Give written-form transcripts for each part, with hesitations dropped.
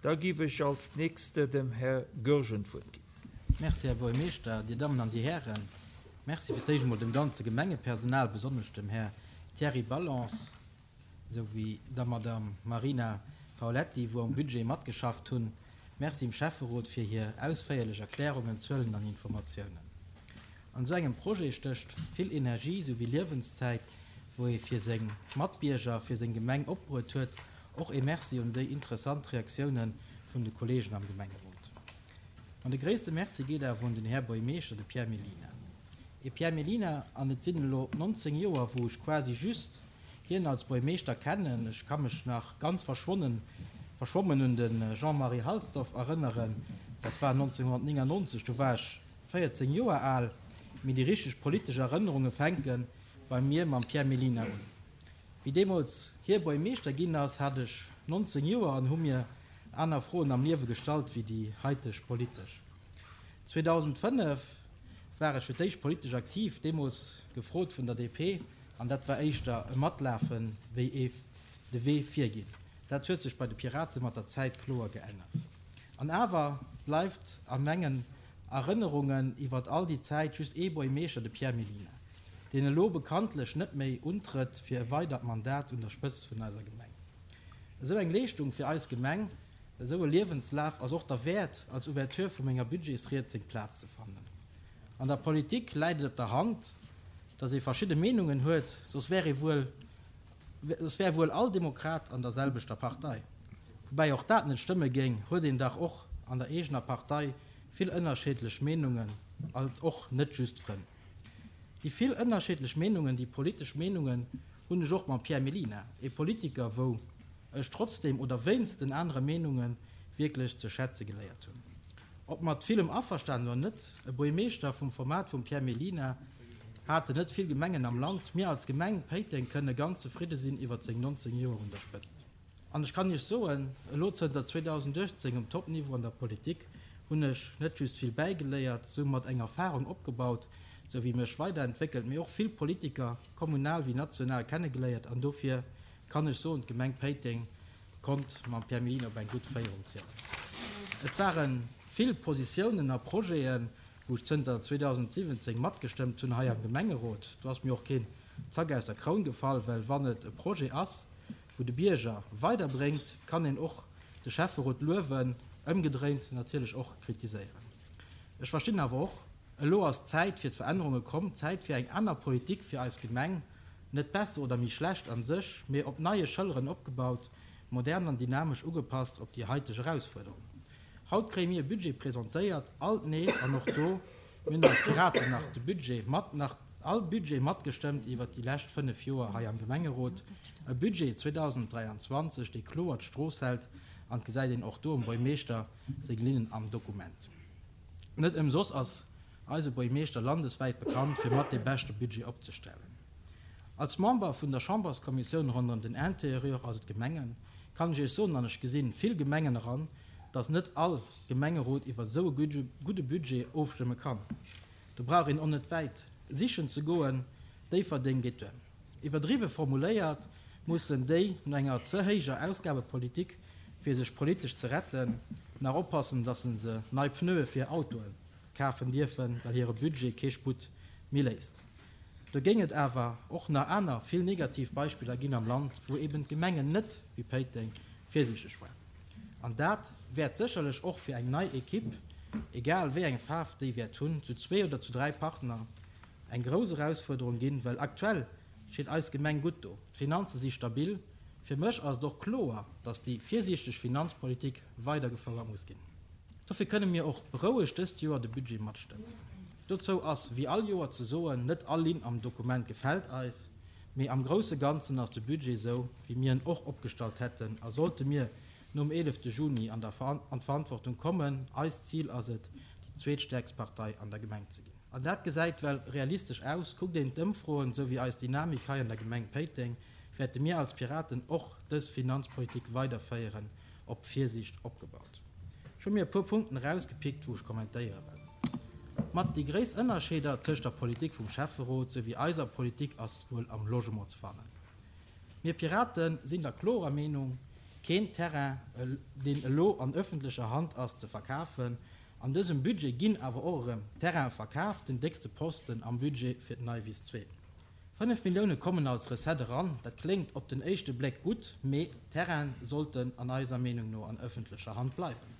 Da géif ech als Nächste dem Här Goergen d'Wuert ginn. Merci, Här Buergermeeschter, Dir Dammen an Dir Hären. Merci fir d'éischt emol dem ganze Gemengepersonal, besonnesch dem Här Thierry Ballance esou wéi der Madame Marina Paoletti, wou am Budget matgeschafft hunn. Merci dem Schäfferot fir hir ausféierlech Erklärungen, Zuelen an Informatiounen. An esou engem Projet stécht vill Energie esou wéi Liewenszäit, wou ee fir seng Matbierger, fir seng Gemeng opbruet huet. Och ee Merci un déi interessant Reaktiounen vun de Kollegen am Gemengerot. An de gréisste Merci geet awer un den Här Buergmeeschter, de Pierre Mellina. Ee Pierre Mellina, an et sinn elo 19 Joer, wou ech quasi just hien als Buergmeeschter kennen. Ech ka mech nach ganz verschwonnen, verschwommen un de Jean-Marie Halsdorf erënneren, dat war 1999, do war ech 14 Joer al, mee déi richteg politesch Erënnerunge fänke bei mir mam Pierre Mellina un. Wéi deemools hie Buergmeeschter ginn ass, hat ech 19 Joer an hu mir aner Froen am Liewe gestallt wéi déi haiteg politesch. 2005 war ech fir d'éischt politesch aktiv, deemools gefrot vun der DP, an dat war éischter e Matlafe wéi ee de Wee virginn. Dat huet sech bei de Pirate mat der Zäit kloer geännert. An awer bleift a mengen Erënnerungen iwwert all déi Zäit just ee Buergmeeschter, de Pierre Mellina, deen elo bekanntlech net méi untrëtt fir e weidert Mandat un der Spëtzt vun eiser Gemeng. Esou eng Leeschtung fir eis Gemeng, esou e Liewenslaf ass och derwäert, als Ouverture vu menger Budgetsried seng Plaz ze fannen. An der Politik läit et op der Hand, datt ee verschidde Meenungen huet, soss wär ee wuel, soss wär wuel all Demokrat an der selwechter Partei. Woubäi och dat net stëmme géing, huet een dach och an der eegener Partei vill ënnerscheedlech Meenungen, alt och net just Frënn. Déi vill ënnerscheedlech Meenungen, déi politesch Meenungen hunn ech och mam Pierre Mellina, ee Politiker wou ech trotzdem oder wéinst den anere Meenunge wierklech ze schätze geléiert hunn. Ob mat villem averstanen oder net, e Buergmeeschter vum Format vum Pierre Mellina haten net vill Gemengen am Land. Mir als Gemeng Péiteng kënne ganz zefridde sinn iwwert seng 19 Joer un der Spëtzt. An ech kann Iech soen, elo zënter 2018 um Top-Niveau an der Politik, hunn ech net just vill bäigeléiert, soumat eng Erfarung opgebaut, sou wéi mech weiderentwéckelt, mee och vill Politiker, kommunal wéi national, kennegeléiert. An dofir kann ech soen, d'Gemeng Péiteng konnt mam Pierre Mellina op eng gutt Féierung zielen. Et ware vill Positiounen a Projeten, wou ech zënter 2017 matgestëmmt hunn hei am Gemengerot. Do ass mir och keen Zack aus der Kroun gefall, well wann et e Projet ass, wou de Bierger weiderbréngt, kann een och de Schäfferot luewen, ëmgedréint natierlech och kritiséieren. Ech verstinn awer och, elo ass d'Zäit fir d'Verännerunge komm, d'Zäit fir eng aner Politik fir eis Gemeng, net besser oder méi schlecht an sech, mee op neie Schëlleren opgebaut, modern an dynamesch ugepasst op déi haiteg Erausfuerderungen. Haut kréie mir e Budget presentéiert, alt nees, an och do, mir hunn als Piraten nach de Budget mat, nach all Budget matgestëmmt iwwert déi lescht 5 Joer hei am Gemengerot, e Budget 2023, dee kloer d'Strooss hält, an et gesäit een och do um Buergmeeschter seng Linnen am Dokument. Net ëmsoss ass eise Buergmeeschter landeswäit bekannt, fir mat dee beschte Budget opzestellen. Als Member vun der Chamberskommissioun ronderëm den Interieur, also d'Gemengen, kann ech Iech soen, an ech gesinn vill Gemengen eran, dass net all Gemengerot iwwer esou e gudde Budget ofstëmme kann. Do brauch een och net wäit sichen ze goen, Déifferdeng geet duer. Iwwerdriwwe formuléiert, mussen déi no enger ze héijer Ausgabepolitik, fir sech politesch ze retten, nach oppassen, dass se se nei Pneue fir Autoe kafen dierfen, well hire Budget kee Sputt méi léisst. Do géing et awer och nach aner vill negativ Beispiller ginn am Land, wou eben d'Gemengen net wéi Péiteng virsiichteg waren. An dat wäert sécherlech och fir eng nei Equipe, egal wéi eng Faarf déi wäert hunn, zu zwee oder zu dräi Partner, eng grouss Erausfuerderung ginn, well aktuell steet eis Gemeng gutt do, d'Finanze si stabil. Fir mech ass et och kloer, datt déi virsiichteg Finanzpolitik weidergefouert muss ginn. Dofir kënne mir och berouegt dëst Joer de Budget matstëmmen. Dozou ass wéi all Joer ze soen, net all Linn am Dokument gefält eis, mee am grousse Ganzen ass de Budget esou, wéi mir en och opgestallt hätten a sollte mir nom 11 Juni an d'Verantwortung kommen, eist Zil ass et, déi zweetstäerkst Partei an der Gemeng ze ginn. An dat gesäit well realistesch aus. Kuckt een d'Ëmfroen, esou wéi eis Dynamik hei an der Gemeng Péiteng, wäerte mir als Piraten och dës Finanzpolitik weiderféieren, op Virsiicht opgebaut. Ech hu mir e puer Punkten erausgepickt, wou ech kommentéiere well. Mat déi gréisst Ënnerscheeder tëscht der Politik vum Schäfferot souwéi eiser Politik ass wuel am Logement ze fannen. Mir Piraten sinn der klorer Meenung, Keen Terrain, deen elo an ëffentlecher Hand ass, ze verkafen. An dësem Budget ginn awer och erëm Terraine verkaaft, den déckste Posten am Budget fir d'Neiwiss 2. 5 Millioune kommen als Recette eran, dat kléngt op den éischte Bléck gutt, mee d'Terraine sollten an eiser Meenung no an ëffentlecher Hand bleiwen.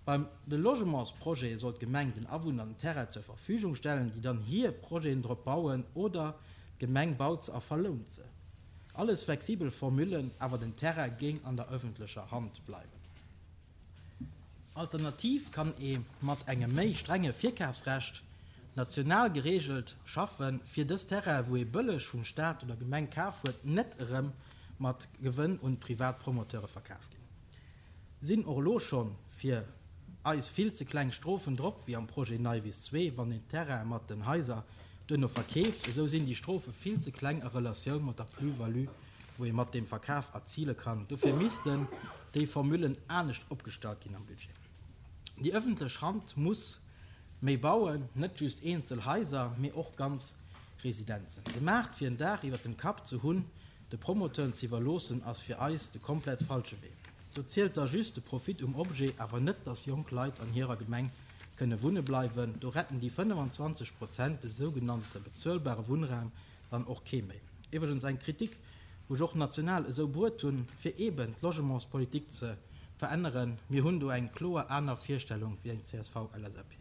Beim de Logementsprojet soll d'Gemeng den Awunner den Terrain zur Verfügung stellen, déi dann hir Projeten drop bauen, oder d'Gemeng baut se a verlount se. Alles flexibel Formullen, awer den Terrain géing an der ëffentlecher Hand bleiwen. Alternativ kann ee mat engem méi strenge Virkafsrecht, national gereegelt, schaffen, fir dës Terrainen, wou ee bëlleg vum Staat oder Gemeng kaf huet, net erëm mat Gewënn un privat Promoteure verkaf ginn. Sinn och elo schonn fir eis vill ze kleng Strofen drop, wéi am Projet Neiwiss 2, wann een d'Terraine mat den Haiser duerno verkeeft, esou sinn déi Strofe vill ze kleng a Relatioun mat der Plus-value, wou ee mat deem Verkaf erzile kann. Dofir missten déi Formullen anescht opgestallt ginn am Budget. Déi ëffentlech Hand muss méi bauen, net just eenzel Haiser, mee och ganz Residenzen. De Maart fir en Daach iwwer dem Kapp ze hunn, de Promoteuren ze iwwerloossen, ass fir eis de komplett falsche Wee. Do zielt da just de Profit um Objet, awer net, dass jonk Leit an hirer Gemeng kënne wunne bleiwen. Do retten déi 25 Prozent de sougenannte bezuelbare Wunnraum dann och kee méi. Iwwregens eng Kritik, wou ech och national esou bruet hunn, fir eeben d'Logementspolitik ze veränneren. Mir hunn do eng kloer aner Virstellung wéi eng CSV-LSAP.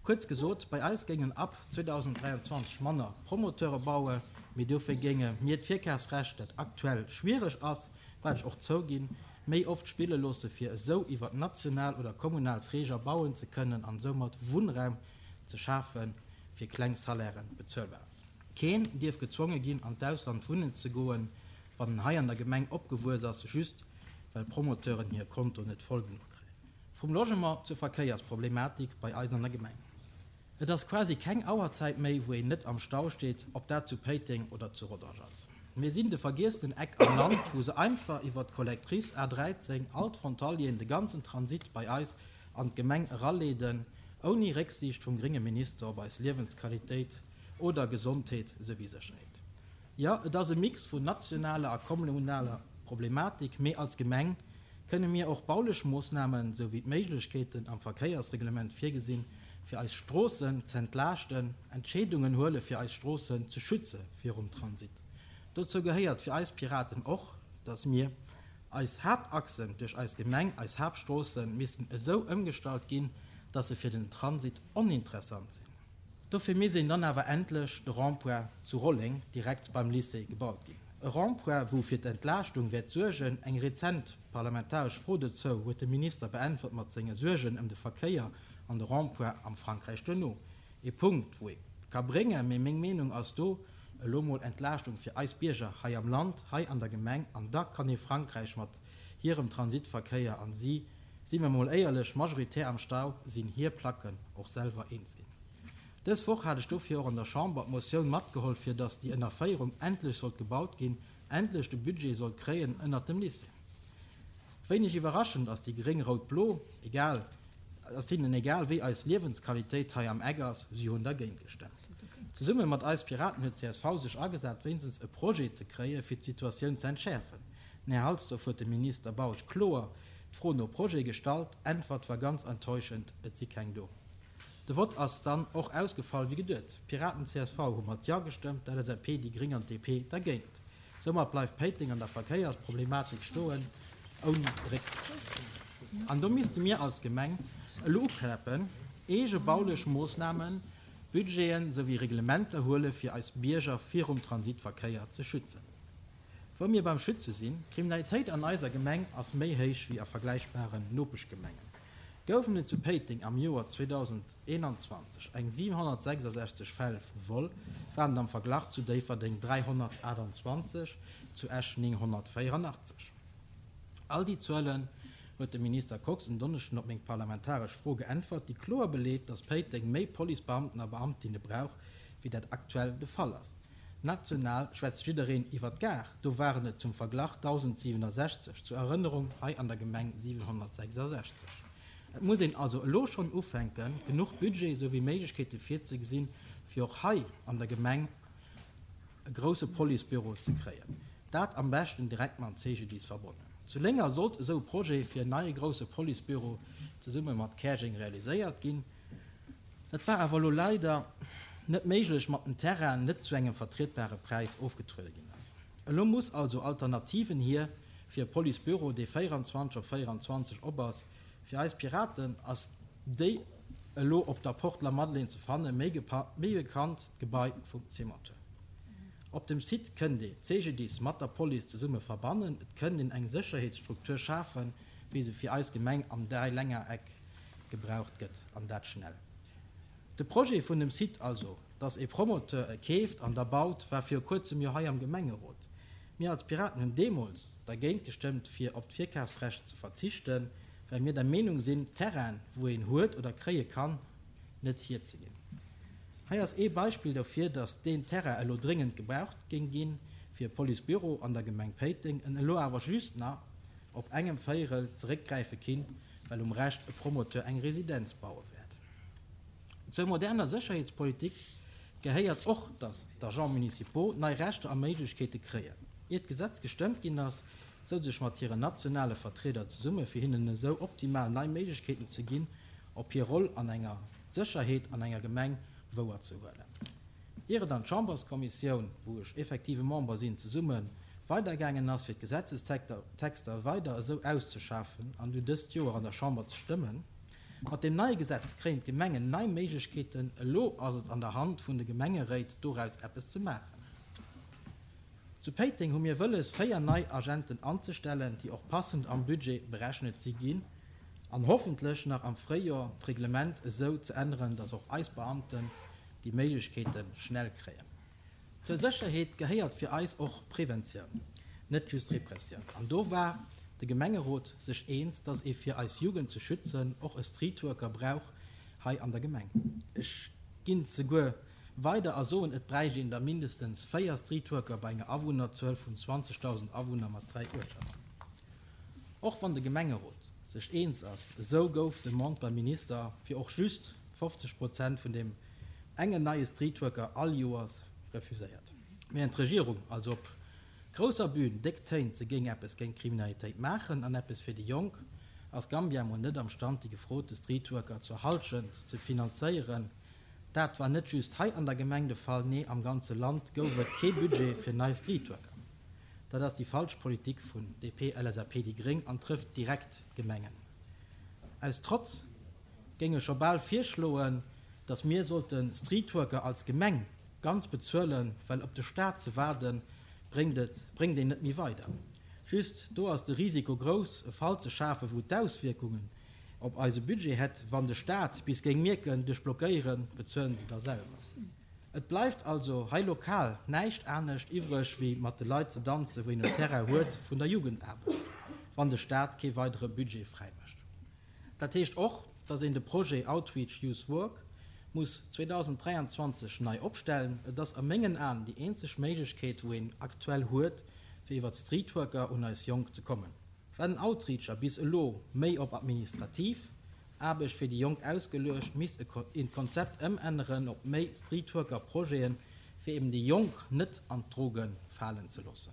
Kuerz gesot, bei eis géingen ab 2023 manner Promoteure baue, mee dofir géinge mir d'Virkafsrecht, dat aktuell schwiereg ass, wat ech och zouginn, méi oft spille loosse fir esou iwwer national oder kommunal Träger bauen ze kënnen an soumat Wunnraum ze schafe fir kleng Salairen bezuelbar ass. Keen dierf gezwonge ginn an d'Ausland wunnen ze goen, wann en hei an der Gemeng opgewuess ass, just well Promoteuren hir Konto net voll genuch kréien. Vum Logement zur Verkéiersproblematik bei eis an der Gemeng. Et ass quasi keng Auerzäit méi, wou een net am Stau steet, ob dat zu Péiteng oder zu Rodange ass. Mir sinn de vergiessenen Eck am Land, wou se einfach iwwer d'Collectrice A 13 all d'Frontalieren de ganzen Transit bei eis an d'Gemeng eraleeden, ouni Récksiicht vum grénge Minister op eis Liewensqualitéit oder Gesondheet souwéi Sécherheet. Jo, et ass e Mix vun nationaler a kommunaler Problematik, mee als Gemeng kënne mir och baulech Moossnamen, sou wéi d'Méiglechkeeten am Verkéiersreglement virgesinn, fir eis Stroossen z'entlaaschten, Entscheedungen huele fir eis Stroossen ze schütze virum Transit. Dozou gehéiert fir eis Piraten och, dass mir eis Haaptachsen duerch eis Gemeng, eis Haaptstroossen, missten esou ëmgestallt ginn, dass se fir den Transit oninteressant sinn. Dofir misst een dann awer endlech de Rond-point zu Rolleng direkt beim Lycée gebaut ginn. E Rond-point, wou fir d'Entlaaschtung wäert suergen. Eng rezent parlamentaresch Fro dozou huet de Minister beäntwert mat senge Suergen ëm de Verkéier an de Rond-point am Frankräich duerno. E Punkt, wou ee ka bréngen, mee meng Meenung ass do elo mol Entlaaschtung fir eis Bierger hei am Land, hei an der Gemeng, an da kann ee Frankräich mat hirem Transitverkéier an si Si mer mol éierlech, majoritär am Stau sinn hir Placken och selwer eens ginn. Dës Woch hat ech dofir och an der Chamber d'Motioun matgeholl fir datt déi Ënnerféierung endlech sollt gebaut ginn, endlech de Budget sollt kréien ënnert dem Lycée. Wéineg iwwerraschend ass déi gréng-rout-blo egal, ass hinnen egal wéi eis Liewensqualitéit hei am Eck ass, si hunn dergéint gestemmt. Zesumme mat eis Piraten huet csv sech agesat wéinstens e Projet ze kréie fir d'Situatioun ze entschäerfen. Den Här Halsdorf huet dem Minister Bausch kloer d'Fro no Projet gestallt. Äntwert war ganz enttäuschend, et si keng do. De Vott ass dann och ausgefall wéi geduet. D'Piraten, csv hu mat Ja gestëmmt, d'LSAP, déi Gréng an d'DP dergéint. Soumat bleift Péiteng an der Verkéiersproblematik stoen, ouni Récksiicht. An do misste mir als Gemeng elo ukläppen, eege baulech Moossnamen, Budgeten souwéi Reglementer huele fir eis Bierger virum Transitverkéier ze schützen. Wou mir beim Schütze sinn, D'Kriminalitéit an eiser Gemeng ass méi héich wéi a vergläichbaren Nopeschgemengen. Goufen et zu Péiteng am Joer 2021 eng 766 Fäll vu Vol, waren et am Verglach zu Déifferdeng 328, zu Esch 984. All déi Zuelen huet de Minister Kox en Donneschden op meng parlamentaresch Fro geäntwert, déi kloer beleet, datt Péiteng méi Policebeamten a Beamtinne brauch, wéi dat aktuell de Fall ass. National schwätzt jiddereen iwwer d'Gare, do waren et zum Verglach 1.067, zur Erënnerung, hei an der Gemeng 766. Et muss een also elo schonn ufänken, genuch Budget souwéi Méiglechkeete virzegesinn, fir och hei an der Gemeng e grousse Policebüro ze kréien. Dat am beschten direkt mam CGDIS verbonnen. Zu Lénger sollt esou e Projet fir en neie grousse Policebüro zesumme mat Käerjeng realiséiert ginn. Dat war awer elo leider net méiglech, mat den Terrain net zu engem vertrietbare Präis ofgetruede ginn ass. Elo muss also Alternativen hier fir e Policebüro, dee 24 op 24 op ass. Fir eis Piraten ass déi elo op der Porte Lamadelaine ze fanne méi bekannt d'Gebai vum Cimenteur. Op dem Site kënnt ee d'CGDIS mat der Police zesumme verbannen, et kënnt een eng Sécherheetsstruktur schafen, wéi se fir eis Gemeng am Dräilännereck gebraucht gëtt, an dat schnell. De Projet vun dem Site, also dass ee Promoteur e keeft an da baut, war viru kuerzem jo hei am Gemengerot. Mir als Piraten hunn deemools dergéint gestëmmt fir op d'Virkafsrecht ze verzichten, well mir der Meenung sinn, Terrainen, wou een huet oder kréie kann, net hierzeginn. Hei ass ee Beispill dofir, dass deen Terrain elo dréngend gebraucht géing ginn fir e Policebüro an der Gemeng Péiteng, en elo awer just nach op engem Véierel zeréckgräife kinnt, well um Rescht e Promoteur eng Residenz baue wäert. Zur moderner Sécherheetspolitik gehéiert och, dass d'Agents municipaux nei Rechter a Méiglechkeete kréien. Ier d'Gesetz gestëmmt ginn ass, souz ech mat hiren nationale Vertrieder zesumme fir hinnen esou optimal nei Méiglechkeeten ze ginn, op hir Roll an enger Sécherheet an enger Gemeng wouer ze huelen. Ier et an d'Chamberskommissioun, wou ech effektive Member sinn, zesumme weidergaangen ass, fir d'Gesetzestexter weider esou auszeschaffen an dunn dëst Joer an der Chamber ze stëmmen. Mat deem neie Gesetz kréien d'Gemengen nei Méiglechkeeten. Elo ass et an der Hand vun de Gemengeréit, doraus eppes ze maachen. Zu Péiteng hu mir wëlles, 4 nei Agenten anzestellen, déi och passend am Budget berechnet si ginn, an hoffentlech nach am Fréijor d'Reglement esou ze änneren, dass och eis Beamten déi Méiglechkeete schnell kréien. Zur Sécherheet gehéiert fir eis och Preventioun, net just Repressioun. An do war de Gemengerot sech eens, dass ee fir eis Jugend ze schützen och e Streetworker brauch hei an der Gemeng. Ech ginn zeguer Weider a soen, et bräicht een der mindestens 4 Streetworker bei enger Awunnerzuel vun 20.000 Awunner mat 3 Uertschaften. Och wann de Gemengerot sech eens ass, esou gouf d'Demande beim Minister fir och just 50 Prozent vun deem engen neie Streetworker all Joers refuséiert. Während d'Regierung also op grousser Bühn déck téint, se géing eppes géint d'Kriminalitéit maachen an eppes fir déi Jonk, ass Gambia mol net am Stand déi gefrote Streetworker zur Halschent ze finanzéieren. Dat war net just hei an der Gemeng de Fall, nee am ganze Land gouf et kee Budget fir nei Streetworker. Dat ass déi falsch Politik vun DP, LSAP, déi Gréng an trëfft direkt d'Gemengen. Aus Trotz géing ech scho bal virschloen, datt mir sollte Streetworker als Gemeng ganz bezuelen, well op de Staat ze waarden bréngt et bréngt een net méi weider. Just do ass de Risiko grouss e Fall ze schafen, wou d'Auswierkungen op eise Budget hätt, wann de Staat bis géing mierken, duerch Blockéieren bezuelen se da selwer. Et bleift also hei lokal näischt anescht iwwreg wéi mat de Leit ze danzen, wou een en Terrain huet vun der Jugendaarbecht, wann de Staat kee weidere Budget fräimécht. Dat heescht och, dass een de Projet Outreach Youth Work muss 2023 nei opstellen. Et ass a mengen Aen déi eenzeg Méiglechkeet, wou een aktuell huet, fir iwwert Streetworker un eis Jonk ze kommen. War den Outreacher bis elo méi op administrativ Aarbecht fir déi Jonk ausgeluecht, misst een d'Konzept ëmänneren op méi Streetworker-Projeten, fir eben déi Jonk net an d'Droge falen ze loossen.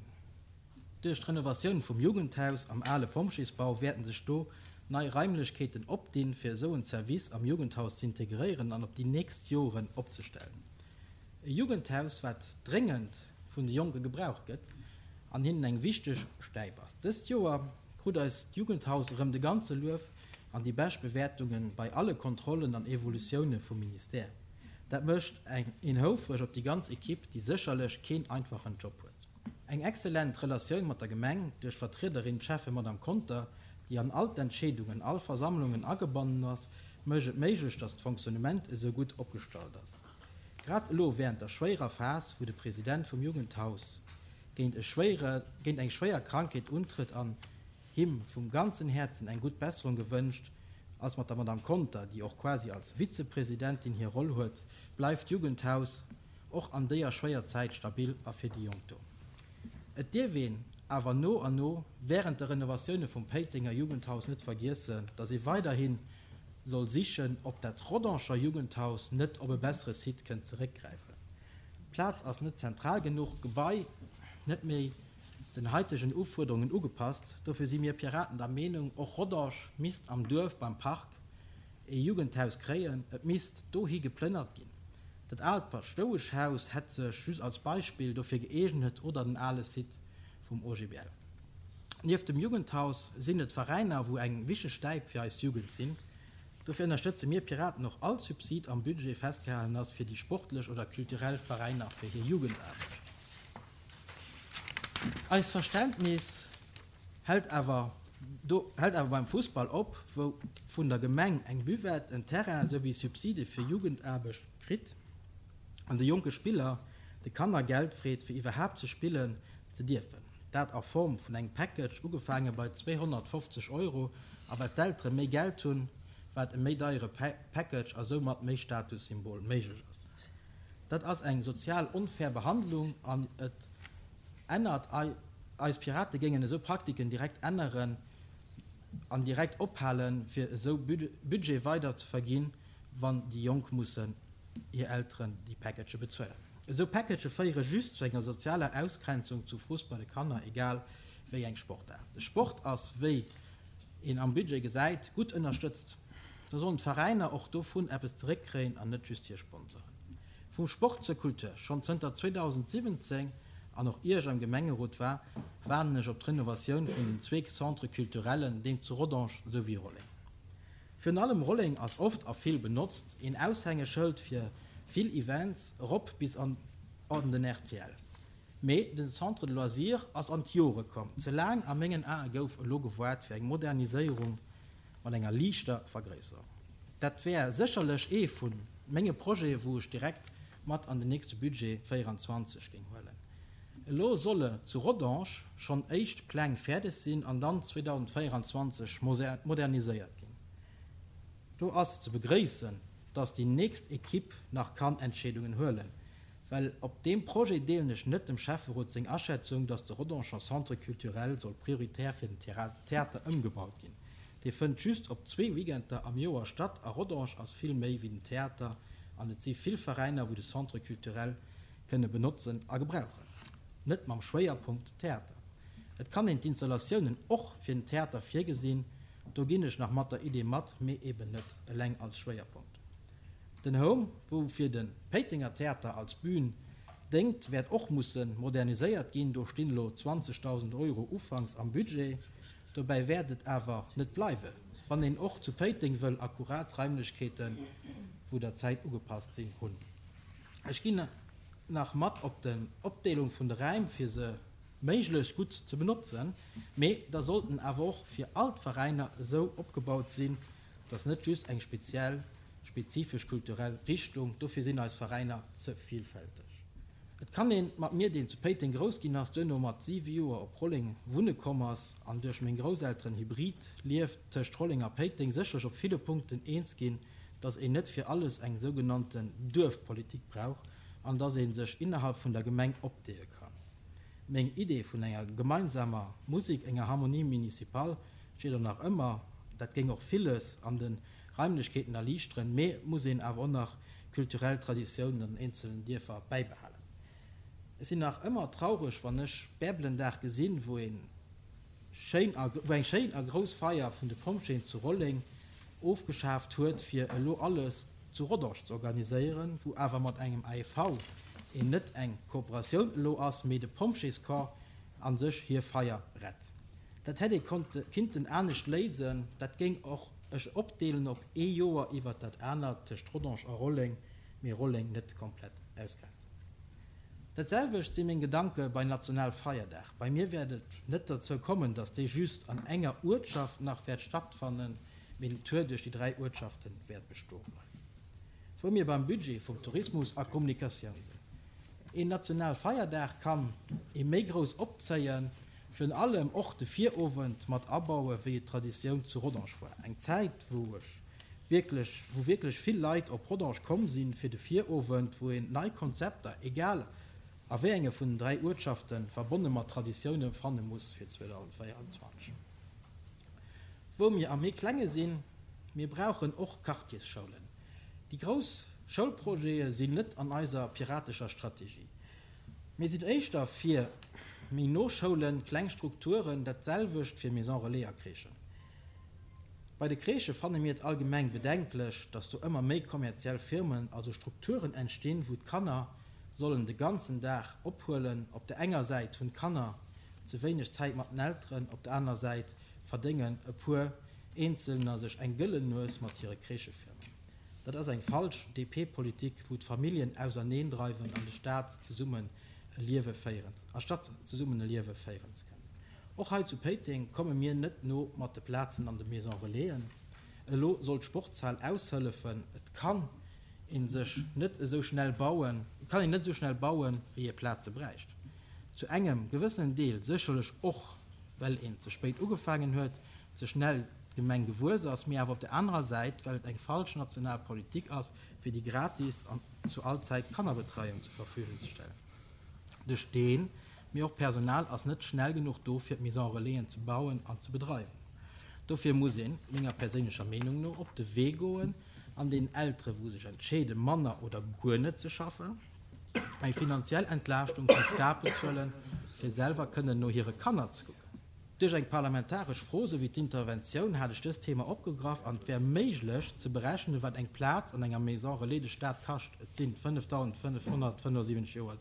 Duerch d'Renovatioun vum Jugendhaus am ale Pompjeesbau wäerten sech do nei Raimlechkeeten opdinn, fir esou en Service am Jugendhaus z'integréieren an op déi nächst Joren opzestellen. E Jugendhaus, wat dréngend vun de Jonke gebraucht gëtt an hinnen eng wichteg Stäip ass. Dëst Joer krut eist Jugendhaus erëm de ganze Luef an déi bescht Bewäertunge bei alle Kontrollen an Evolutioune vum Ministère. Dat mécht een houfreg op déi ganz Ekipp, déi sécherlech keen einfachen Job huet. Eng excellent Relatioun mat der Gemeng duerch d'Vertriederin, d'Schäffe Madame Conter, déi an all d'Entscheedungen, all Versammlungen agebannen ass, mécht et méiglech, dass d'Fonctionnement esou gutt opgestallt ass. Grad elo während der schwéierer Phas, wou de President vum Jugendhaus géint e schwéiere géint eng schwéier Krankheet untrëtt an him vum ganzen Häerzen eng gutt Besserung gewënscht, ass mat der Madame Conter, déi och quasi als Vizepresidentin hir Roll huet, bleift d'Jugendhaus och an déier schwéier Zäit stabil a fir déi Jonk do. Et dierf een awer no an no während de Renovatioune vum Péitenger Jugendhaus net vergiessen, dass ee weiderhi soll sichen, ob dat Rodanger Jugendhaus net op e bessere Site kënnt zeréckgräifen. D'Plaz ass net zentral genuch, d'Gebai net méi. den haitegen Ufuerderungen ugepasst. Dofir si mir Piraten der Meenung, och Rodange misst am Duerf beim Park ee Jugendhaus kréien. Et misst dohi geplënnert ginn. Dat aalt Paschtoueschhaus hätt sech, just als Beispill, dofir gëeegnet oder den ale Site vum OGBL. Nieft dem Jugendhaus sinn et d'Veräiner, wou eng wichteg Stäip fir eis Jugend sinn. Dofir ënnerstëtze mir Piraten och all Subsid am Budget festgehalen ass fir déi sportlech oder kulturell Veräiner fir hir Jugendaarbecht. Eist Verständnis hält awer do hält awer beim Fussball op, wou vun der Gemeng eng Buvette, en Terrain souwéi Subside fir Jugendaarbecht kritt an de jonke Spiller, de Kanner Geld freet fir iwwerhaapt ze spillen ze dierfen. Dat a Form vun engem Package, ugefaange bei 250 Euro, a wat d'Eltere méi Geld hunn, wat e méi deiere Package a soumat méi Statussymbol méiglech ass. Dat ass eng sozial onfair Behandlung an et ännert eis Pirate géingen esou Praktiken direkt änneren an direkt ophalen, fir esou Budget weider ze verginn, wann déi Jonk mussen hir Elteren déi Packagë bezuelen. Esou Packagë féiere just zu enger sozialer Ausgrenzung zu Frust bei de Kanner, egal wéi eng Sportaart. De Sport ass, wéi een am Budget gesäit, gutt ënnerstëtzt. Da sollen d'Veräiner och dovun eppes zeréckkréien an net just hir Sponsoren. Vum Sport zur Kultur, Schonn zënter 2017, an och ier ech am Gemengerot war, waarden ech op d'Renovatioun vun den zweek Centres culturellen, deem zu Rodange souwéi Rolleng. Virun allem Rolleng ass oft a vill benotzt, een Aushängeschëld fir vill Events, erop bis an den rtl. Mee den Centre de Loisirs ass an d'Jore komm. Ze laang a mengen Ae gouf elo gewaart fir eng Moderniséierung mat enger liichter Vergréisserung. Dat wär sécherlech ee vu menge Projete wou ech direkt mat an den nächste Budget 24 géing huelen. Elo solle zu Rodange schonn éischt Pläng fäerdeg sinn an dann 2024 moderniséiert ginn. Do ass ze begréissen, dass déi nächst Equipe nach kann Entscheedungen huelen, well op deem Projet deelen ech net dem Schäfferot seng Aschätzung, dass de Rodanger Centre culturel soll prioritär fir den Theater ëmgebaut ginn. Dee fënnt just op zwee Weekender am Joer statt a Rodange ass vill méi wéi den Theater an et si vill Veräiner wou de Centre culturel kënne benotzen a gebrauchen. Net mam Schwéierpunkt Theater. Et kann een d'Installatiounen och fir den Theater virgesinn, do ginn ech nach mat der Idee mat, mee eben net eleng als Schwéierpunkt. Den Home, wou fir de Péitenger Theater als Bühn déngt, wäert och musse moderniséiert ginn. Do stinn elo 20.000 Euro ufanks am Budget. Dobäi wäert et awer net bleiwe wann een och zu Péiteng wëll akkurat Raimlechkeeten, wou der Zäit ugepasst sinn, hunn. Ech ginn nach mat op den Opdeelung vun de Räim fir se méiglechst gutt ze benotzen, mee da sollten awer och fir all d'Veräiner esou opgebaut sinn, dass net just eng speziell spezifesch kulturell Richtung, dofir sinn eis Veräiner ze villfälteg. Et kann een mat mir, deen zu Péiteng grouss ginn ass, duerno mat 7 Joer op Rolleng wunne komm ass an duerch meng Grousselteren hybrid lieft tëscht Rolleng a Péiteng, sécherlech op ville Punkten eens ginn, dass een net fir alles eng sougenannten Duerfpolitik brauch an dass ee sech innerhalb vun der Gemeng opdeele kann. Meng Idee vun enger gemeinsamer Musik, enger Harmonie municipale, steet och nach ëmmer. Dat géing och villes an de Raimlechkeeten erliichteren, mee et muss een awer och nach kulturell Traditiounen an den eenzelen Dierfer bäibehalen. Ech sinn nach ëmmer traureg, wann ech Bärbelendag gesinn, wou een schéin a wou eng schéin a grouss Feier vun de Pompjeeën zu Rolleng ofgeschaaft huet fir elo alles zu Rodange ze organiséieren, wou awer mat engem AEV een net eng Kooperatioun elo ass, mee de Pompjeescorps a sech hir Feier rett. Dat hätt ee konnte kinnten anescht léisen, dat géing och ech opdeelen op ee Joer iwwert dat anert tëscht Rodange a Rolleng, mee Rolleng net komplett ausgrenzen. Dat selwecht si meng Gedanke bei Nationalfeierdag. Bei mir wäert et net derzou kommen, datt dee just an enger Uertschaft nach wäert stattfannen, mee den Tour duerch déi 3 Uertschafte wäert bestoe bleiwen. Wou mir beim Budget vum Tourismus a Kommunikatioun sinn. Een Nationalfeierdag kann ee méi grouss opzéien, virun allem och de Virowend mat abaue wéi et Traditioun zu Rodange war. Eng Zäit wou ech wierklech, wou wierklech vill Leit op Rodange komm sinn fir de Virowend, wou een nei Konzepter, egal a wéi enge vun den 3 Uertschaften, verbonne mat Traditioune fanne muss fir 2024. Wou mir am méi klenge sinn, mir brauchen och Quartiersschoulen. Déi grouss Schoulprojete sinn net an eiser piratescher Strategie. Mir sinn éischter fir. Méi no Schoulen, kleng Strukturen, dat selwecht fir Maison Relais a Crèchen. Bei de Crèchë fanne mir et allgemeng bedenklech, dass do ëmmer méi kommerziell Firmen, also Strukturen entstinn, wou d'Kanner sollen de ganzen Dag ophuelen. Op der enger Säit hunn d'Kanner ze wéineg Zäit mat den Elteren, op der anerer Säit verdéngen e puer Eenzelner sech eng gëllen Nues mat hire Crèchefirmen. Dat ass eng falsch DP-Politik, wou d'Familljen auserneen dreiwen an de Staat zesummen e Liewe féieren, anstatt zesummen e Liewe féieren ze kënnen. Och hei zu Péiteng komme mir net no mat de Plazen an de Maison Relaisen. Elo soll d'Sportshal aushëllefen. Et kann ee sech net esou schnell bauen, et kann een net esou schnell bauen, wéi ee Plaze bräicht. Zu engem gewëssenen Deel sécherlech och, well een ze spéit ugefaangen huet, ze schnell d'Gemeng gewuess ass, mee awer op der anerer Säit, well et eng falsch national Politik ass, fir déi gratis an zu all Zäit Kannerbetreiung zur Verfügung ze stellen. De Steen, mee och d'Personal ass net schnell genuch do, fir d'Maison Relaisen ze bauen an ze bedreiwen. Dofir muss een, menger perséinlecher Meenung no, op de Wee goen an deenen Eltere wou sech entscheede manner oder guer net ze schaffen, eng finanziell Entlaaschtung vum Staat bezuelen, fir selwer kënnen no hire Kanner ze kucken. Duerch eng parlamentaresch Fro souwéi d'Interventioun hat ech dëst Thema opgegraff an et wär méiglech ze berechnen, wat eng Plaz an enger Maison Relais de Staat kascht, et sinn 5.575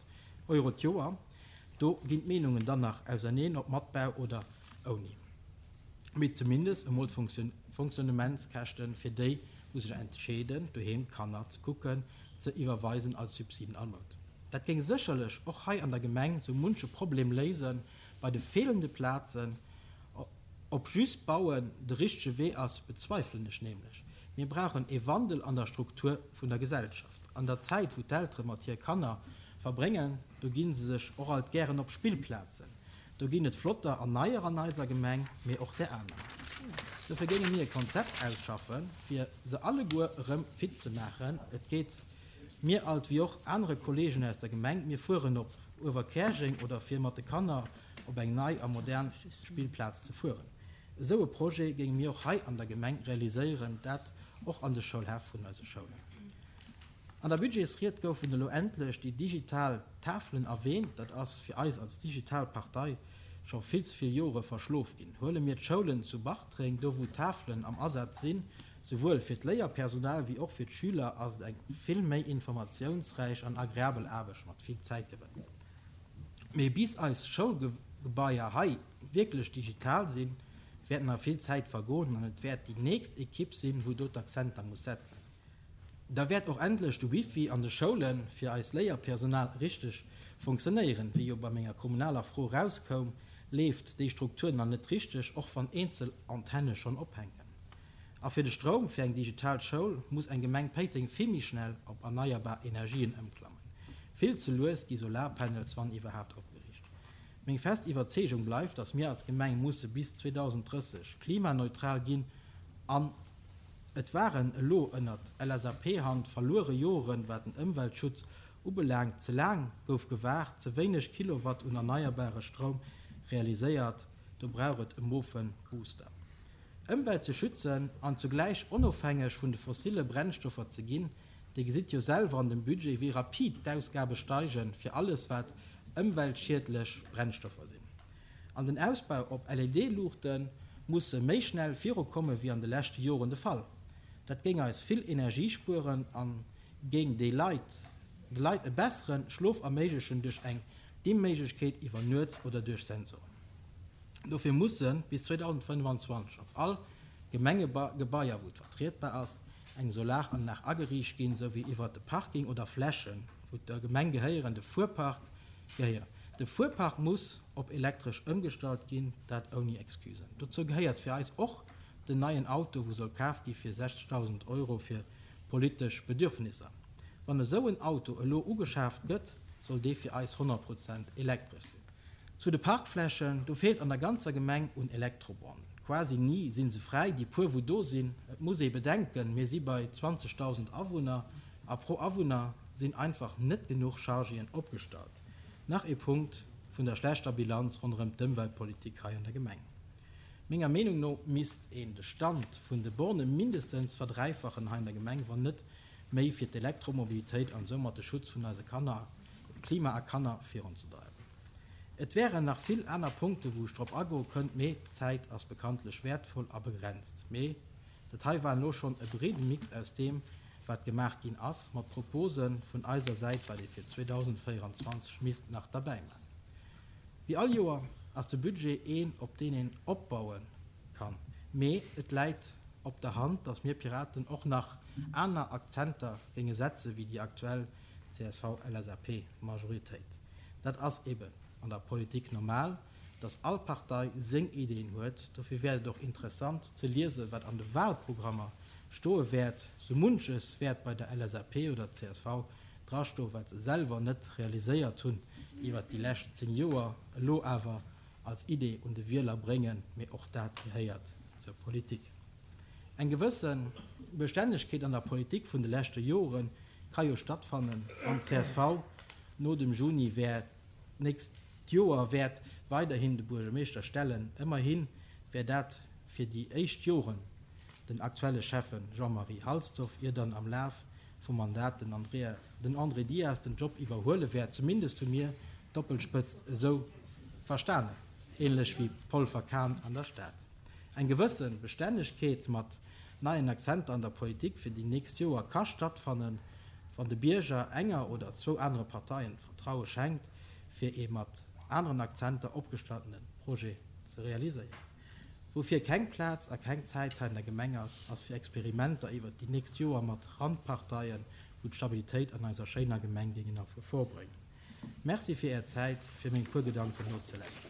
Euro d'Joer. Do ginn d'Meenungen dann nach auserneen, ob mat Bau oder ouni, mee zumindest emol d'Fonctionnementskäschten fir déi, wou sech entscheeden, doheem d'Kanner ze kucken, ze iwwerweisen als Subsiden all Mount. Dat géing sécherlech och hei an der Gemeng sou munche Problem léisen bei de feelende Plazen. Ob just bauen de richtege Wee ass, bezweifelen ech nämlech. Mir brauchen ee Wandel an der Struktur vun der Gesellschaft. An der Zäit wou d'Eltere mat hir Kanner verbréngen, do gi se sech och alt gären op Spillplazen. Do ginn et flotter an neier an eiser Gemeng, mee och där aner. Dofir géinge mir e Konzept ausschaffen, fir se alleguer erëm fit ze maachen. Et geet mir alt wéi och anere Kollegen aus der Gemeng, mir fueren op Uewerkäerjeng oder fir mat de Kanner op eng nei a modern Spillplaz ze fueren. Esou e Projet géinge mir och hei an der Gemeng realiséieren, dat och an de Schoulhäff vun eise Schoulen. An der Budgetsried goufen elo endlech déi digital Tafelen erwähnt. Dat ass fir eis als digital Partei scho vill ze vill Jore verschlof ginn. Huele mir d'Schoulen zu Bartreng, do wou d'Tafelen am Asaz sinn, souwuel fir d'Léierpersonal wéi och fir d'Schüler ass et eng vill méi informatiounsräich an agreabel Aarbecht mat vill Zäitgewënn. Mee bis eis Schoulgebaier hei wierklech digital sinn, wäert nach vill Zäit vergoen an et wäert déi nächst Ekipp sinn, wou do d'Akzenter muss setzen. Da wäert och endlech de Wifi an de Schoule fir eist Léierpersonal richteg fonctionnéieren. Wéi jo bei menger kommunaler Fro erauskoum, leeft déi Struktur nach net richteg, och wann eenzel Antenne schonn ophänken. A fir de Stroum fir eng digital Schoul muss eng Gemeng Péiteng vill méi schnell op erneierbar Energien ëmklammen. Vill ze lues gi Solarpanels, wann iwwerhaapt, opgeriicht. Meng fest Iwwerzeegung bleift, datt mir als Gemeng musse bis 2030 klimaneutral ginn an Et waren elo ënnert LSAP-Hand verluere Joren, wat den Ëmweltschutz ubelaangt. Ze laang gouf gewaart, ze wéineg Kilowatt un erneierbare Stroum realiséiert. Do brauch et e mofen Booster. Ëmwelt ze schützen an zugläich onofhängeg vun de fossille Brennstoffer ze ginn. Dir gesitt jo selwer an dem Budget, wéi rapid d'Ausgabe steigen fir alles wat ëmweltschiedlech Brennstoffer sinn. An den Ausbau op LED-Luuchte musse méi schnell virukomme wéi an de leschte Joren de Fall. Dat géing eis vill Energie spueren a géing de Leit de Leit e bessere Schlof erméiglechen duerch eng Dimmméiglechkeet iwwer Nuets oder duerch Sensoren. Dofir musse bis 2025 op all Gemengegebaier, wou et vertrietbar ass, eng Solaranlag ageriicht ginn, sou wéi iwwert de Parking oder Flächen, wou der Gemeng gehéieren, de Fuerpark gehéieren. De Fuerpark muss op elektresch ëmgestallt ginn, dat ouni Excusen. Dozou gehéiert fir eis och den neien Auto, wou soll kaf gi fir 60.000 Euro fir politesch Bedürfnisser. Wann esou en Auto elo ugeschaaft gëtt, soll dee fir eis 100 Prozent elektresch sinn. Zu de Parkflächen, do feelt an der ganzer Gemeng un Elektrobornen. Quasi ni si se fräi, déi puer wou do sinn. Et muss ee bedenken, mir si bei 20.000 Awunner a pro Awunner sinn einfach net genuch Chargéen opgestallt. Nach ee Punkt vun der schlechter Bilanz ronderëm d'Ëmweltpolitik hei an der Gemeng. Menger Meenung no misst een de Stand vun de Borne mindestens verdräifachen hei an der Gemeng, wann net méi, fir d'Elektromobilitéit an soumat de Schutz vun eise Kanner, Klima a Kanner virunzedreiwen. Et wären nach vill aner Punkten, wou ech drop agoe kënnt, mee d'Zäit ass bekanntlech wäertvoll a begrenzt. Mee dat hei war elo schonn e breede Mix aus deem, wat gemaach ginn ass, mat Propose vun eiser Säit, wat ee fir 2024 misst nach derbäi man. Wéi all Joer ass de Budget een, op deen een opbaue kann, mee et läit op der Hand, dass mir Piraten och nach aner Akzenter géinge setze wéi déi aktuell CSV-LSAP-Majoritéit. Dat ass eben an der Politik normal, dass all Partei seng Ideen huet. Dofir wäert et och interessant ze liesen, wat an de Wahlprogrammer stoe wäert. Sou munches wäert bei der LSAP oder csv drastoen, wat se selwer net realiséiert hunn iwwert déi lescht 10 Joer, elo awer als Idee un de Wieler bréngen. Mee och dat gehéiert zur Politik. Eng gewësse Bestännegkeet an der Politik vun de leschte Jore ka jo stattfannen, wann csv no dem Juni wäert d'nächst Joer wäert weiderhin de Buergermeeschter stellen. Ëmmerhi wär dat fir déi éischt Joren den aktuelle Schäffe Jean-Marie Halsdorf, ier dann am Laf vum Mandat den Andrea den André Dias den Job iwwerhuele wäert. Zumindest hu mir d'Doppelspëtzt esou verstanen, ähnlech wéi Polfer-Kahn an der Stad. Eng gewësse Bestännegkeet mat neien Akzenter an der Politik fir déi nächst Joer ka stattfannen, wann de Bierger enger oder zwou anere Parteien d'Vertraue schenkt, fir ee mat aneren Akzenter opgestalltene Projet ze realiséieren. Woufir keng Plaz a keng Zäit hei an der Gemeng ass, ass fir Experimenter iwwert déi nächst Joer mat Randparteien, wou d'Stabilitéit an eiser schéiner Gemeng géingen a Gefor bréngen. Merci fir Är Zäit, fir meng puer Gedanken nozelauschteren.